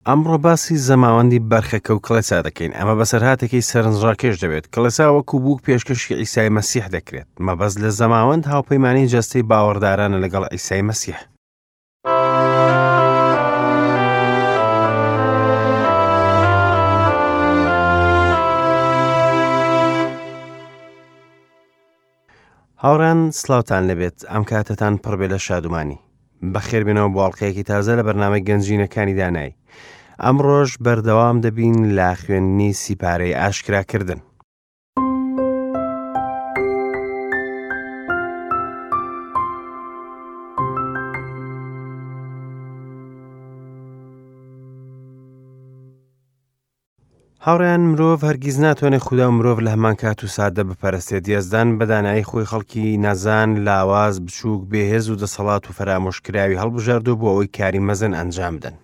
ئەمڕۆ باسی زەماوەندی بەرخەکە و کڵێسا دەکەین. ئەمە بەسەرهاتێکی سەرنجڕاکێش دەبێت. کڵێسا وەکو بووک پێشکەشی عیسای مەسیح دەکرێت. مەبەست لە زەماوەند هاوپەیمانی جەستەی باوەڕدارانە لەگەڵ عیسای مەسیح. هاوڕێیان سڵاوتان لێبێت ئەم کاتەتان پڕبێ لە شادومانی بەخێربێنەوە بۆ ئەڵلقەیەکی تازە لە بەرنامەی گەنجینەکانی دانایی ئەمڕۆژ بەردەوام دەبین لە خوێندنی سیپارەی ئاشکراکردن. هاوڕێیان مرۆڤ هەرگیز ناتوانێت خودا و مرۆڤ لە هەمان کات و ساتدا بپەرستێت یەزدان بە دانایی خۆی خەڵکی نەزان لاواز بچووک بێهێز و دەسەڵات و فەرامۆشکراوی هەڵبژاردووە بۆ ئەوەی کاری مەزن ئەنجام بدەن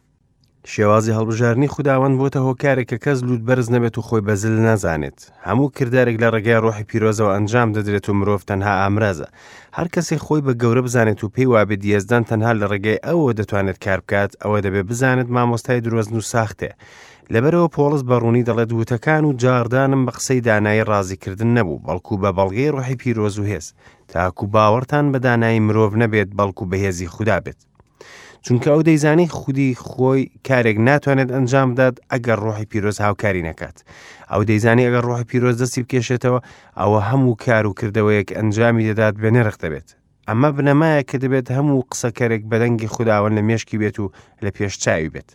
شێوازی هەڵبژاردنی خوداوەند بۆتە هۆکارێک کە کەس لووت بەرز نەبێت و خۆی بە زل نەزانێت. هەموو کردارێک لە ڕێگای ڕۆحی پیرۆزەوە ئەنجام دەدرێت و مرۆڤ تەنها ئامرازە. هەر کەسێک خۆی بە گەورە بزانێت و پێی وابێت یەزدان تەنها لە ڕێگای ئەوەوە دەتوانێت کار بکات، ئەوە دەبێت بزانێت مامۆستای درۆزن و ساختەیە. لەبەرئەوە پۆڵس بە ڕوونی دەڵێت وتەکان و جاڕدانم بە قسەی دانایی ڕازیکردن نەبوو، بەڵکو بە بەڵگەی ڕۆحی پیرۆز و هێز، تاکو باوەڕتان بە دانایی مرۆڤ نەبێت، بەڵکو بە هێزی خودا بێت. چونکە ئەو دەیزانی خودی خۆی کارێک ناتوانێت ئەنجام بدات ئەگەر ڕۆحی پیرۆز هاوکاری نەکات ئەو دەیزانی ئەگەر ڕۆحی پیرۆز دەستی بکێشێتەوە ئەوە هەموو کار و کردەوەیەک ئەنجامی دەدات بێ نرخ دەبێت ئەمە بنەمایە کە دەبێت هەموو قسەکەرێک بەدەنگی خوداوەند لە مێشکی بێت و لە پێش چاوی بێت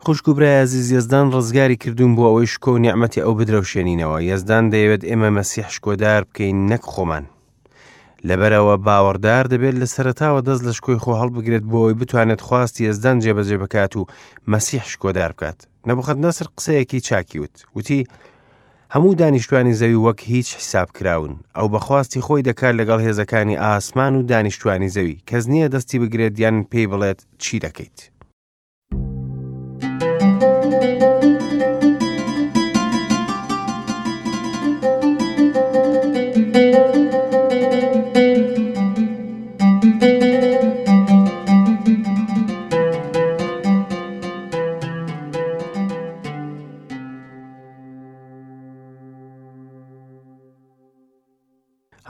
خوشک و برای ئازیز یەزدان ڕزگاری کردوون بۆ ئەوەی شکۆ و نیعمەتی ئەو بدرەوشێنینەوە یەزدان دەیەوێت ئێمە مەسیح شکۆدار بکەین نەک خۆمان لەبەرئەوە باوەڕدار دەبێت لە سەرەتاوە دەست لە شکۆی خۆ هەڵبگرێت بۆ ئەوەی بتوانێت خواستی یەزدان جێبەجێ بکات و مەسیح شکۆدار بکات. نەبوخودنەسر قسەیەکی چاکی وت. وتی، هەموو دانیشتوانی زەوی وەک هیچ حیساب کراون. ئەو بە خواستی خۆی دەکات لەگەڵ هێزەکانی ئاسمان و دانیشتوانی زەوی. کەس نییە دەستی بگرێت یان پێی بڵێت چی دەکەیت.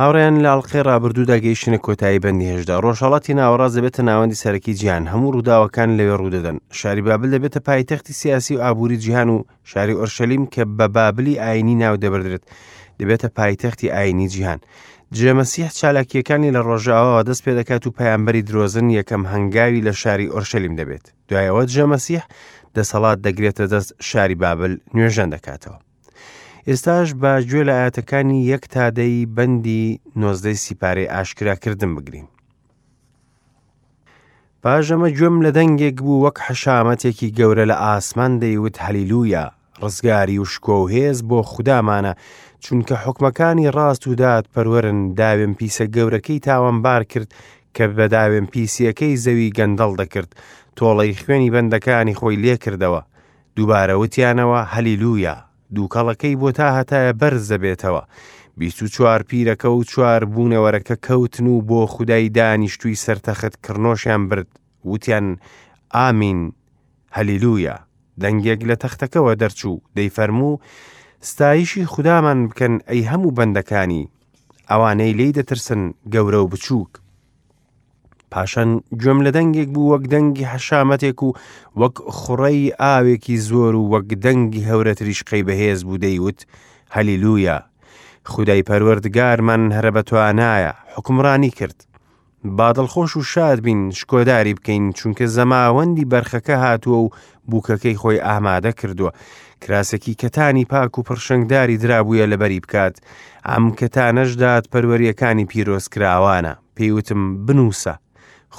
هاوڕێیان لە ئەڵقەی ڕابردوودا گەیشتنە کۆتایی بەندی هێشدا ڕۆژهەڵاتی ناوەڕاست دەبێتە ناوەندی سەرەکی جیهان هەموو ڕووداوەکان لەوێ ڕوودەدەن شاری بابل دەبێتە پایتەختی سیاسی و ئابووری جیهان و شاری ئۆرشەلیم کە بە بابلی ئاینی ناو دەبردرێت دەبێتە پایتەختی ئاینی جیهان جێمەسیح چالاکیەکانی لە ڕۆژاواوە دەست پێ دەکات و پەیامبەری درۆزن یەکەم هەنگاوی لە شاری ئۆرشەلیم دەبێت دوایەوە جێمەسیح دەسەڵات دەگرێتە دەست شاری بابل نوێژەن دەکاتەوە ئێستاش با گوێ لە ئاەتەکانی یەک تا دەی بەندی نۆزدەی سیپارەی ئاشکراکردن بگرین. پاش ئەمە گوێم لە دەنگێک بوو وەک حەشامەتێکی گەورە لە ئاسمان دەیوت هەلیلویا ڕزگاری و شکۆ و هێز بۆ خودامانە چونکە حکمەکانی ڕاست و دادپەروەرن داوێن پیسە گەورەکەی تاوانبار کرد کە بە داوێن پیسیەکەی زەوی گەندەڵ دەکرد تۆڵەی خوێنی بەندەکانی خۆی لێکردەوە دووبارە وتیانەوە، هەلیلویا! دووکەڵەکەی بۆ تاهەتایە بەرز دەبێتەوە. 24 پیرەکە و چوار بوونەوەرەکە کەوتن و بۆ خودای دانیشتووی سەر تەخت کڕنۆشیان برد، وتیان، ئامین، هەلیلویا! دەنگێک لە تەختەکەوە دەرچوو، دەیفەرموو، ستایشی خودامان بکەن ئەی هەموو بەندەکانی، ئەوانەی لێی دەترسن، گەورە و بچووک. پاشان گوێم لە دەنگێک بوو وەک دەنگی حەشامەتێک و وەک خوڕەی ئاوێکی زۆر و وەک دەنگی هەورە تریشقەی بەهێز بوو دەیوت هەلیلویا خودای پەروەردگارمان هەرە بەتوانایە حکومڕانی کرد با دڵخۆش و شاد بین شکۆداری بکەین چونکە زەماوەندی بەرخەکە هاتووە و بووکەکەی خۆی ئامادە کردووە کراسێکی کەتانی پاک و پڕشنگداری درابوویە لەبەری بکات ئەم کەتانەش دادپەروەریەکانی پیرۆزکراوانە پێی وتم، بنووسە،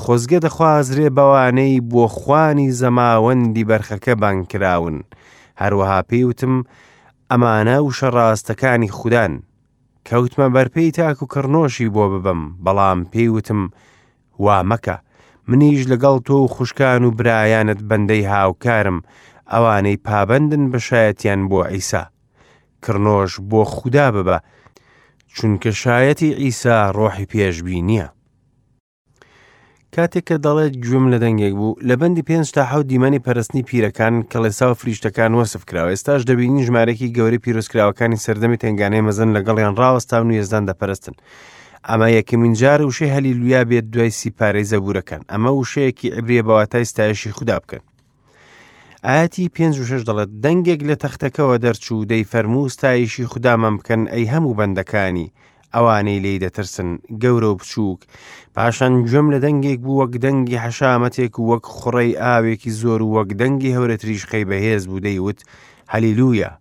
خۆزگە دەخوازرێ بەوانەی بۆ خوانی زەماوەندی بەرخەکە بانگ کراون. هەروەها پێی وتم، ئەمانە وشە ڕاستەکانی خودان. کەوتمە بەرپێی تاکو کڕنۆشی بۆ ببەم، بەڵام پێی وتم، وا مەکە. منیش لەگەڵ تۆ و خوشکان و برایانت بەندەی هاوکارم، ئەوانەی پابەندن بە شایەتیان بۆ عیسا. کڕنۆش بۆ خودا ببە، چونکە شایەتی عیسا ڕۆحی پێشبینییە. کاتێک کە دەڵێت گوێم لە دەنگێک بوو، لە بەندی پێنج تا حەوت دیمەنی پەرستنی پیرەکان، کڵێسا و فریشتەکان وەسف کراوە. ئێستاش دەبینین ژمارەیەکی گەورەی پیرۆزکراوەکانی سەردەمی تەنگانەی مەزن لەگەڵیان ڕاوەستاون و یەزدان دەپەرستن. ئەمە یەکەمین جار وشەی هەلیلویا بێت دوای سیپارەی زەبوورەکان. ئەمە وشەیەکی عیبریە بە واتای ستایشی خودا بکەن. ئایەتی پێنج و شەش دەڵێت دەنگێک لە تەختەکەوە دەرچوو دەیفەرموو ستایشی خودامان بکەن ئەی هەموو بەندەکانی ئەوانەی لێی دەترسن گەورە و بچووک پاشان گوێم لە دەنگێک بوو وەک دەنگی حەشامەتێک و وەک خوڕەی ئاوێکی زۆر و وەک دەنگی هەورەتریشقەی بەهێز بوو دەیوت هەلیلویا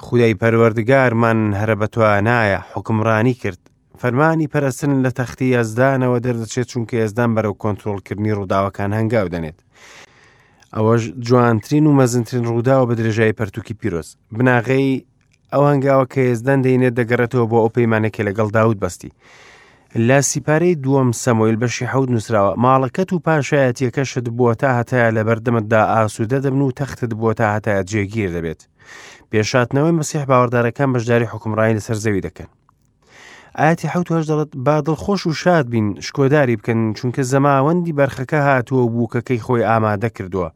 خودای پەروەردگارمان هەرە بەتوانایە حوکمڕانی کرد فەرمانی پەرستن لە تەختی یەزدانەوە دەردەچێت چونکە یەزدان بەرەو کۆنترۆڵکردنی ڕووداوەکان هەنگاو دەنێت. ئەوەش جوانترین و مەزنترین ڕووداوە بە درێژایی پەرتوکی پیرۆز. بناغەی ئەو هەنگاوە کە یەزدان دەینێت دەگەڕێتەوە بۆ ئەو پەیمانە کە لەگەڵ داود بەستی. لە سیپارەی دووەم سەمۆیل بەشی حەوت نووسراوە ماڵەکەت و پاشایەتیەکەشت بۆ تا هەتایە لەبەردەمتدا ئاسوودە دەبن و تەختت بۆ تا هەتایە جێگیر دەبێت. پێشاتنەوەی مەسیح باوەڕدارەکان بەشداری حوکمڕانی لەسەر زەوی دەکەن. ئاەتی حەوت هەشت دەڵێت با دڵخۆش و شاد بین شکۆداری بکەن چونکە زەماوەندی بەرخەکە هاتووە و بووکەکەی خۆی ئامادە کردووە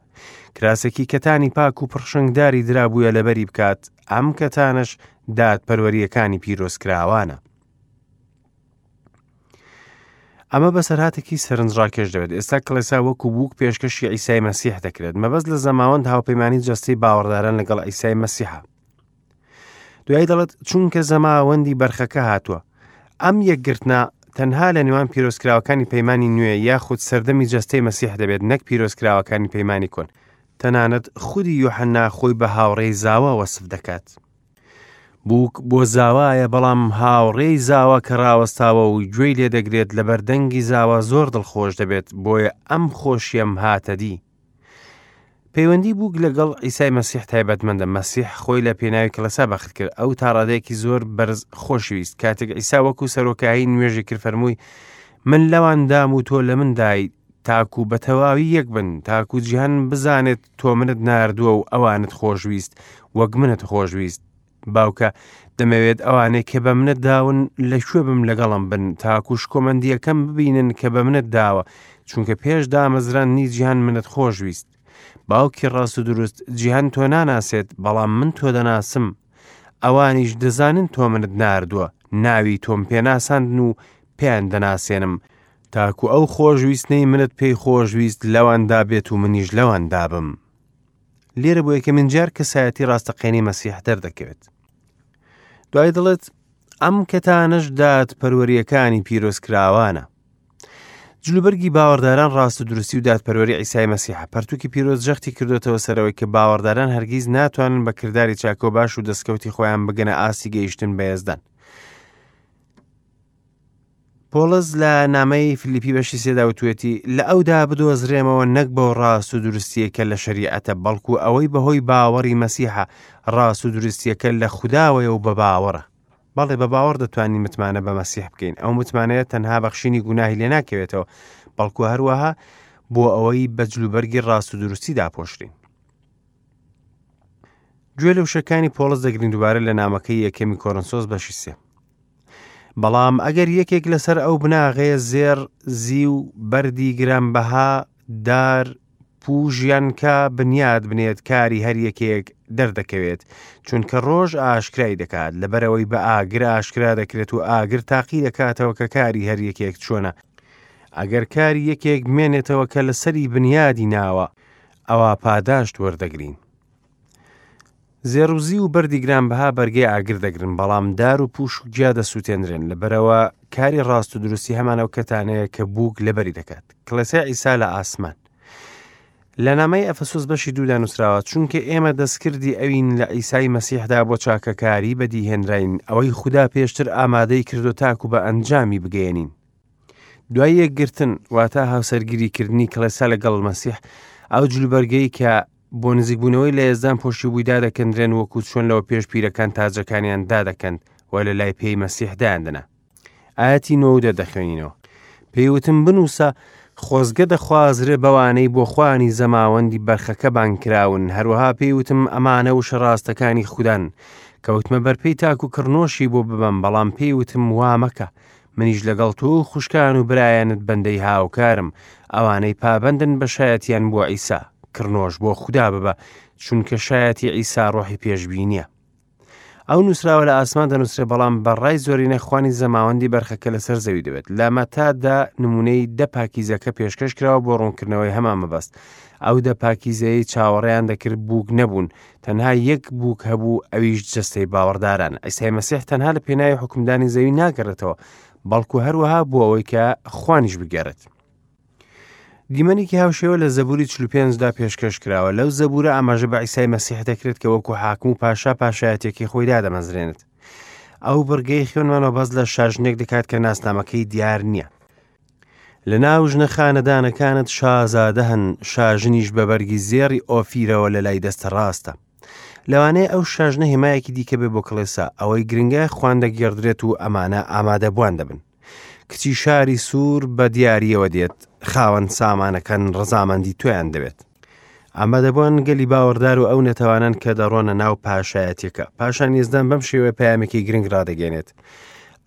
کراسێکی کەتانی پاک و پڕشنگداری درابووە لەبەری بکات ئەم کەتانەش دادپەروەریەکانی پیرۆزکراوانە ئەمە بەسەرهاتێکی سەرنجڕاکێش دەبێت ئێستا کڵێسا وەکو بووک پێشکەشی ئیسای مەسیح دەکرێت مەبەست لە زەماوەند هاوپەیمانی جەستەی باوەڕداران لەگەڵ ئیسای مەسیحە دوایی دەڵێت چونکە زەماوەندی بەرخەکە هاتووە ئەم یەکگرتنە تەنها لە نێوان پیرۆزکراوەکانی پەیمانی نوێ یاخود سەردەمی جەستەی مەسیح دەبێت نەک پیرۆزکراوەکانی پەیمانی کۆن تەنانەت خودی یۆحەنا خۆی بە هاوڕێی زاوا وەسف دەکات بووک بۆ زاوایە بەڵام هاوڕێی زاوا کە ڕاوەستاوە و گوێی لێدەگرێت لەبەر دەنگی زاوا زۆر دڵخۆش دەبێت بۆیە ئەم خۆشیەم هاتە دی پەیوەندی بووک لەگەڵ عیسای مەسیح تایبەتمەندە، مەسیح خۆی لە پێناوی کڵێسا بەخت کرد، ئەو تا ڕادەیەکی زۆر بەرز خۆشیویست. کاتێک عیسا وەکو سەرۆکاهین نوێژی کرد فەرمووی، من لەوان دام و تۆ لە من دای، تاکو بە تەواوی یەک بن، تاکو جیهان بزانێت تۆ منت ناردووە و ئەوانت خۆشویست وەک منت خۆشویست. باوکە، دەمەوێت ئەوانەی کە بە منت داون لە کوێ بم لەگەڵم بن، تاکو شکۆمەندییەکەم ببینن کە بە منت داوە، چونکە پێش دامەزراندنی جیهان منت خۆشویست. باوکی ڕاست و دروست، جیهان تۆ ناناسێت، بەڵام من تۆ دەناسم. ئەوانیش دەزانن تۆ منت ناردووە، ناوی تۆم پێ ناساندن و پێیان دەناسێنم، تاکو ئەو خۆشویستنەی منت پێی خۆشویست لەواندا بێت و منیش لەواندا بم. لێرە بۆ یەکەمین جار کەسایەتی ڕاستەقینەی مەسیح دەردەکەوێت. دوای دەڵێت ئەم کەتانەش دادپەروەریەکانی پیرۆزکراوانە. جلوبەرگی باوەڕداران ڕاست و دروستی و دادپەروەری عیسای مەسیحە. پەرتوکی پیرۆز جەختی کردوێتەوە سەرەوەی کە باوەڕداران هەرگیز ناتوانن بە کرداری چاکە و باش و دەستکەوتی خۆیان بگەنە ئاستی گەیشتن بە یەزدان. پۆڵس لە نامەی فلیپی بەشی سێدا وتوێتی لە ئەودا بدۆزرێمەوە نەک بەو ڕاست و دروستیەکە لە شەریعەتە بەڵکو ئەوەی بەهۆی باوەڕی مەسیحە ڕاست و دروستیەکە لە خوداوەیە و بە باوەڕە بەڵێ بە باوەڕ دەتوانین متمانە بە مەسیح بکەین ئەو متمانەیە تەنها بەخشینی گوناهی لێ ناکەوێتەوە بەڵکو هەروەها بۆ ئەوەی بە جلوبەرگی ڕاست و دروستی داپۆشرین گوێ لە وشەکانی پۆڵس دەگرین دووبارە لە نامەکەی یەکەمی کۆرنسۆس بەشی سێ بەڵام ئەگەر یەکێک لەسەر ئەو بناغەیە زێڕ، زیو، بەردی گرانبەها، دار، پووش یان کا بنیات بنێت کاری هەر یەکێک دەردەکەوێت، چونکە ڕۆژ ئاشکرای دەکات، لەبەرئەوەی بە ئاگر ئاشکرا دەکرێت و ئاگر تاقی دەکاتەوە کە کاری هەر یەکێک چۆنە، ئەگەر کاری یەکێک بمێنێتەوە کە لەسەری بنیادی ناوە، ئەوا پاداشت وەردەگرین. زێڕ و زیو و بەردی گرانبەها بەرگەی ئاگر دەگرن، بەڵام دار و پوش و گیا دەسووتێنرێن، لەبەرئەوە کاری ڕاست و دروستی هەمان ئەو کەتانەیە کە بووک لەبەری دەکات. کڵێسای عیسا لە ئاسمان. لە نامەی ئەفەسۆس بەشی دوودا نووسراوە، چونکە ئێمە دەستکردی ئەوین لە عیسای مەسیحدا بۆ چاکەکاری بەدیهێنراین، ئەوەی خودا پێشتر ئامادەی کردو تاکو بە ئەنجامی بگەیەنین. دوای یەکگرتن، واتە هاوسەرگیریکردنی کڵێسا لەگەڵ مەسیح، ئەو جلوبەرگەی کە بۆ نزیکبوونەوەی لە یەزدان پۆشیبووی دادەکەندرێن وەکو چۆن لەوە پێش پیرەکان تاجەکانیان دادەکەند و لە لای پێی مەسیح دایاندنا. ئایەتی نۆ و دە دەخوێنینەوە. پێی وتم بنووسە، خۆزگە دەخوازرێ بەوانەی بۆ خوانی زەماوەندی بەرخەکە بانگ کراون، هەروەها پێی وتم ئەمانە وشە ڕاستەکانی خودان. کەوتمە بەرپێی تاکو کڕنۆشی بۆ ببەم، بەڵام پێی وتم وا مەکە، منیش لەگەڵ تۆ و خوشکان و برایانت بەندەی هاوکارم، ئەوانەی پابەندن بە شایەتیان بۆ عیسا. کڕنۆش بۆ خودا ببە، چونکە شایەتی عیسا ڕۆحی پێشبینییە. ئەو نووسراوە لە ئاسمان دەنووسرێ بەڵام بە ڕای زۆرینە خوانی زەماوەندی بەرخەکە لەسەر زەوی دەبێت لە مەتادا نمونەی دە پاکیزەکە پێشکەش کراوە بۆ ڕوونکردنەوەی هەمان مەبەست ئەو دە پاکیزەیەی چاوەڕێیان دەکرد بووک نەبوون تەنها یەک بووک هەبوو ئەویش جەستەی باوەڕداران عیسای مەسیح تەنها لە پێناوی حکومدانی زەوی ناگەڕێتەوە بەڵکو هەروەها بۆ ئەوەی کە خوانیش بگەڕێت دیمەنێکی هاوشێوە لە زەبوری 45 دا پێشکەش کراوە. لەو زەبورە ئاماژە بە عیسای مەسیح دەکرێت کە وەکو حاکم و پاشا پاشایەتیەکەی خۆی دادەمەزرێنێت. ئەو بڕگەی خوێنمانەوە باس لە شاژنێک دەکات کە ناسنامەکەی دیار نییە. لە ناو ژنە خانەدانەکانت شازادە هەن، شاژنیش بە بەرگی زێڕی ئۆفیرەوە لە لای دەستە ڕاستە. لەوانەیە ئەو شاژنە هێمایەکی دیکە بێ بۆ کڵێسا، ئەوەی گرنگە خوان دەگێڕدرێت و ئەمانە ئامادەبووان دەبن. کچی شاری سوور بە دیارییەوە دێت، خاوەن سامانەکان ڕەزامەندی تۆیان دەوێت. ئامادەبووان گەلی باوەڕدار و ئەو نەتەوانەن کە دەڕۆنە ناو پاشایەتیەکە. پاشان یەزدان بەم شێوەیە پەیامێکی گرنگ ڕادەگەێنێت.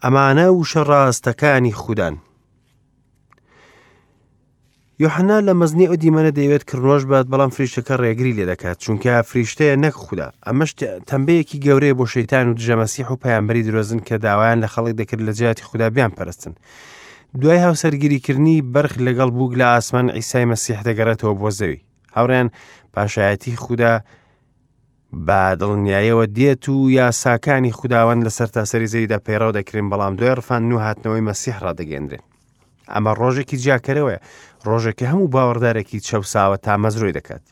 ئەمانە وشە ڕاستەکانی خودان. یۆحەنا لە مەزنی ئەو دیمەنە دەیەوێت کڕنۆش بات، بەڵام فریشتەکە ڕێگری لێ دەکات، چونکە فریشتەیە نەک خودا. ئەمەش تەمبەیەکی گەورەیە بۆ شەیتان و دژە مەسیح و پەیامبەری درۆزن کە داوایان لە خەڵک دەکرد لە جیاتی خودا بیانپەرستن. دوای هاوسەرگیریکردنی بەرخ لەگەڵ بووک لە ئاسمان عیسای مەسیح دەگەڕێتەوە بۆ زەوی. هاوڕێیان پاشایەتی خودا بە دڵنیایەوە دێت و یاساکانی خوداوەند لە سەرتاسەری زەویدا پەیڕەو دەکرێن، بەڵام دوای ڕفاندن و هاتنەوەی مەسیح ڕادەگەیەندرێن. ئەمە ڕۆژێکی جیاکەرەوەیە، ڕۆژێک کە هەموو باوەڕدارێکی چەوساوە تامەزرۆی دەکات.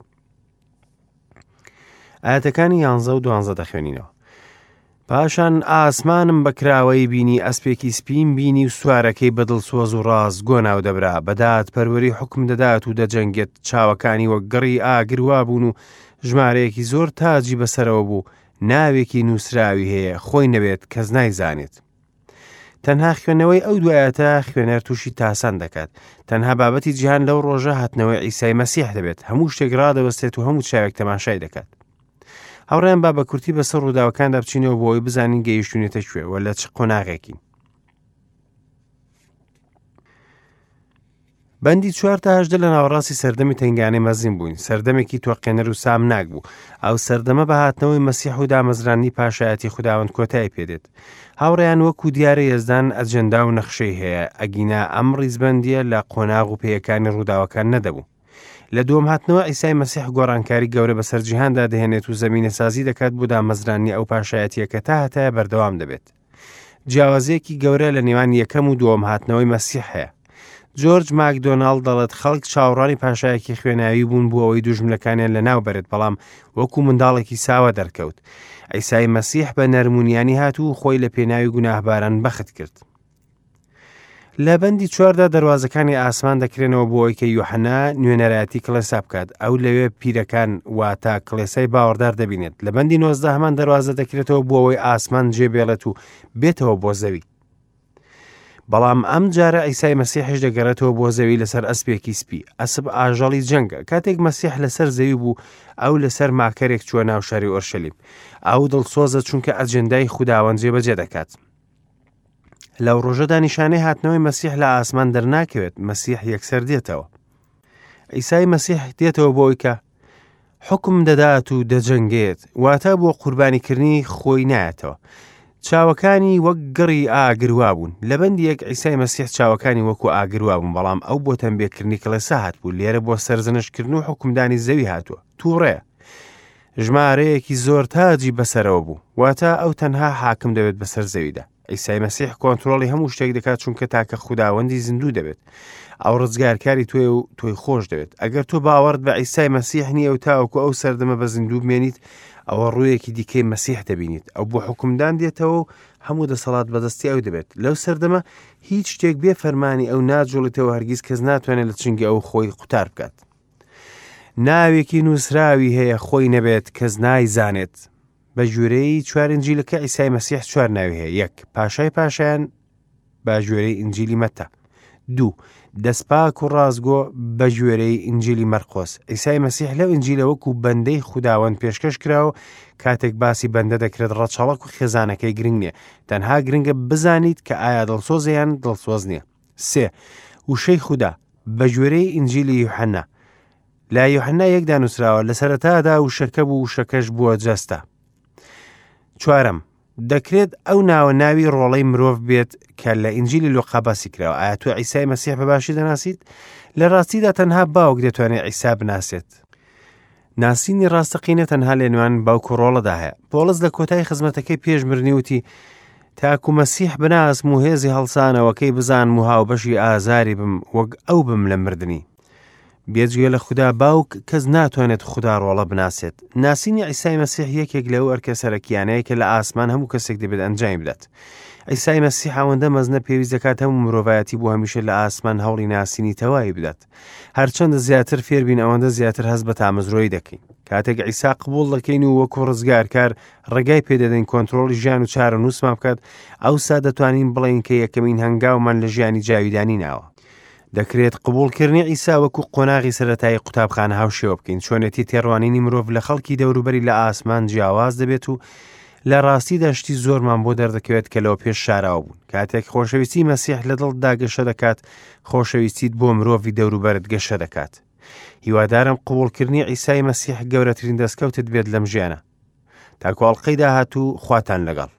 ئاەتەکانی یانزە و دوانزە دەخوێنینەوە. پاشان ئاسمانم بە کراوەیی بینی، ئەسپێکی سپیم بینی و سوارەکەی بە دڵسۆز و ڕاستگۆ ناودەبرا، بە دادپەروەری حوکم دەدات و دەجەنگێت، چاوەکانی وەک گڕی ئاگر وابوون و ژمارەیەکی زۆر تاجی بەسەرەوە بوو، ناوێکی نووسراوی هەیە، خۆی نەبێت کەس نایزانێت. تەنها خوێندنەوەی ئەو دوو ئایەتە خوێنەر تووشی تاسان دەکات. تەنها بابەتی جیهان لەو ڕۆژە هاتنەوەی عیسای مەسیح دەبێت، هەموو شتێک ڕادەوەستێت و هەموو چاوێک تەماشای دەکات. هاوڕێیان با بە کورتی بەسەر ڕووداوەکاندا بچینەوە بۆ ئەوەی بزانین گەیشتوینەتە کوێ و لە چ قۆناغێکین. بەندی چوار تا هەژدە لە ناوەڕاستی سەردەمی تەنگانەی مەزین بووین، سەردەمێکی تۆقێنەر و سامناک بوو. ئەو سەردەمە بە هاتنەوەی مەسیح و دامەزراندنی پاشایەتی خوداوەند کۆتایی پێدێت. هاوڕێیان وەکو دیارە یەزدان ئەجێندا و نەخشەی هەیە، ئەگینا ئەم ڕیزبەندییە لە قۆناغ و پێیەکانی ڕووداوەکان نەدەبوو. لە دووەم هاتنەوە عیسای مەسیح گۆڕانکاری گەورە بەسەر جیهاندا دەهێنێت و زەمینەسازی دەکات بۆ دامەزراندنی ئەو پاشایەتییە کە تا هەتایە بەردەوام دەبێت. جیاوازییەکی گەورە لە نێوان یەکەم و دووەم هاتنەوەی مەسیح هەیە. جۆرج ماکدۆناڵد دەڵێت خەڵک چاوەڕوانی پاشایەکی خوێناوی بوون بۆ ئەوەی دوژمنەکانیان لەناو بەرێت، بەڵام وەکو منداڵێکی ساوا دەرکەوت. عیسای مەسیح بە نەرمونیانی هات و خۆی لە پێناوی گوناهباران بەخت کرد. لە بەندی چواردا دەروازەکانی ئاسمان دەکرێنەوە بۆ ئەوەی کە یوحەنا نوێنەرایەتی کڵێسا بکات ئەو لەوێ پیرەکان واتە کڵێسای باوەڕدار دەبینێت لە بەندی نۆزدە هەمان دەروازە دەکرێتەوە بۆ ئەوەی ئاسمان جێ بێڵێت و بێتەوە بۆ زەوی بەڵام ئەم جارە عیسای مەسیحش دەگەڕێتەوە بۆ زەوی لەسەر ئەسپێکی سپی ئەسپ ئاژەڵی جەنگە کاتێک مەسیح لەسەر زەوی بوو ئەو لەسەر ماکەرێک چووە ناو شاری ئۆرشەلیم ئەو دڵسۆزە چونکە ئەجێندای خوداوەند جێبەجێ دەکات لەو ڕۆژەدا نیشانەی هاتنەوەی مەسیح لە ئاسمان دەرناکەوێت، مەسیح یەکسەر دێتەوە. عیسای مەسیح دێتەوە بۆ ئەوی کە حکم دەدات و دەجەنگێت، واتە بۆ قوربانیکردنی خۆی نایەتەوە. چاوەکانی وەک گڕی ئاگر وابوون. لە بەندی یەک عیسای مەسیح چاوەکانی وەکو ئاگر وابوون، بەڵام ئەو بۆ تەمبێکردنی کڵێسا هاتبوو، لێرە بۆ سەرزەنشتکردن و حوکمدانی زەوی هاتووە. تووڕەیە. ژمارەیەکی زۆر تاجی بەسەرەوە بوو، واتە ئەو تەنها حاکم دەبێت بەسەر زەویدا. عیسای مەسیح کۆنترۆڵی هەموو شتێک دەکات چونکە تاکە خوداوەندی زیندوو دەبێت. ئەو ڕزگارکاری تۆیە و تۆی خۆش دەوێت. ئەگەر تۆ باوەڕت بە عیسای مەسیح نییە و تاوەکو ئەو سەردەمە بە زیندوو بمێنیت، ئەوە ڕوویەکی دیکەی مەسیح دەبینیت. ئەو بۆ حوکمدان دێتەوە و هەموو دەسەڵات بەدەستی ئەو دەبێت. لەو سەردەمە هیچ شتێک بێ فەرمانی ئەو ناجوڵیتەوە هەرگیز کەس ناتوانێت لە چنگی ئەو خۆی قوتار بکات. ناوێکی نووسراوی هەیە خۆی نەبێت کەس نایزانێت. بە گوێرەی چوار ئینجیلەکە عیسای مەسیح چوار ناوی هەیە یەک پاشای پاشایان بە گوێرەی ئینجیلی مەتا دوو دەستپاک و ڕاستگۆ بەگوێرەی ئینجیلی مەرقۆس. عیسای مەسیح لەو ئینجیلە وەکو بەندەی خوداوەند پێشکەش کراوە و کاتێک باسی بەندە دەکرێت ڕەچەڵەک و خێزانەکەی گرنگ نییە، تەنها گرنگە بزانیت کە ئایا دڵسۆزە یان دڵسۆز نییە. سێ، وشەی خودا، بەگوێرەی ئینجیلی یوحەنا. لە یوحەنا یەکدا نووسراوە، لە سەرەتادا وشەکە بوو، وشەکەش بووە جەستە. چوارەم، دەکرێت ئەو ناوە ناوی ڕۆڵەی مرۆڤ بێت کە لە ئینجیلی لوقا باسی کراوە. ئایا تۆ عیسای مەسیح بە باشی دەناسیت؟ لە ڕاستیدا تەنها باوک دەتوانێت عیسا بناسێت. ناسینی ڕاستەقینە تەنها لە نێوان باوک و ڕۆڵەدا هەیە. پۆڵس لە کۆتای خزمەتەکەی پێش مردنی وتی، تاکو مەسیح بناسم و هێزی هەڵسانەوەکەی بزانم و هاوبەشی ئازاری بم وەک ئەو بم لە مردنی. بێجگە لە خودا باوک کەس ناتوانێت خودا ڕۆڵە بناسێت. ناسینی عیسای مەسیح یەکێک لەو ئەرکە سەرەکیانەیە کە لە ئاسمان هەموو کەسێک دەبێت ئەنجامی بدات. عیسای مەسیح ئەوەندە مەزنە پێویست دەکات هەموو مرۆڤایەتی بۆ هەمیشە لە ئاسمان هەوڵی ناسینی تەواوی بدات. هەرچەندە زیاتر فێربین ئەوەندە زیاتر هەست بە تامەزرۆیی دەکەین. کاتێک عیسا قبوڵ دەکەین و وەکو ڕزگارکار ڕێگای پێدەدەین کۆنترۆڵی ژیان و چارەنووسمان بکات، ئەوسا دەتوانین بڵێین کە یەکەمین هەنگاومان لە ژیانی جاویدانی ناوە. دەکرێت قبوڵکردنی عیسا وەکو قۆناغی سەرەتایی قوتابخانە هاوشێوە بکەین، چۆنێتی تێڕوانینی مرۆڤ لە خەڵکی دەوروبەری لە ئاسمان جیاواز دەبێت و لە ڕاستیدا شتی زۆرمان بۆ دەردەکەوێت کە لەوە پێش شاراوە بوون. کاتێک خۆشەویستی مەسیح لە دڵتدا گەشە دەکات، خۆشەویستیت بۆ مرۆڤی دەوروبەرت گەشە دەکات. هیوادارم قبوڵکردنی عیسای مەسیح گەورەترین دەستکەوتت بێت لەم ژیانە. تاکو ئەڵقەی داهاتوو خواتان لەگەڵ.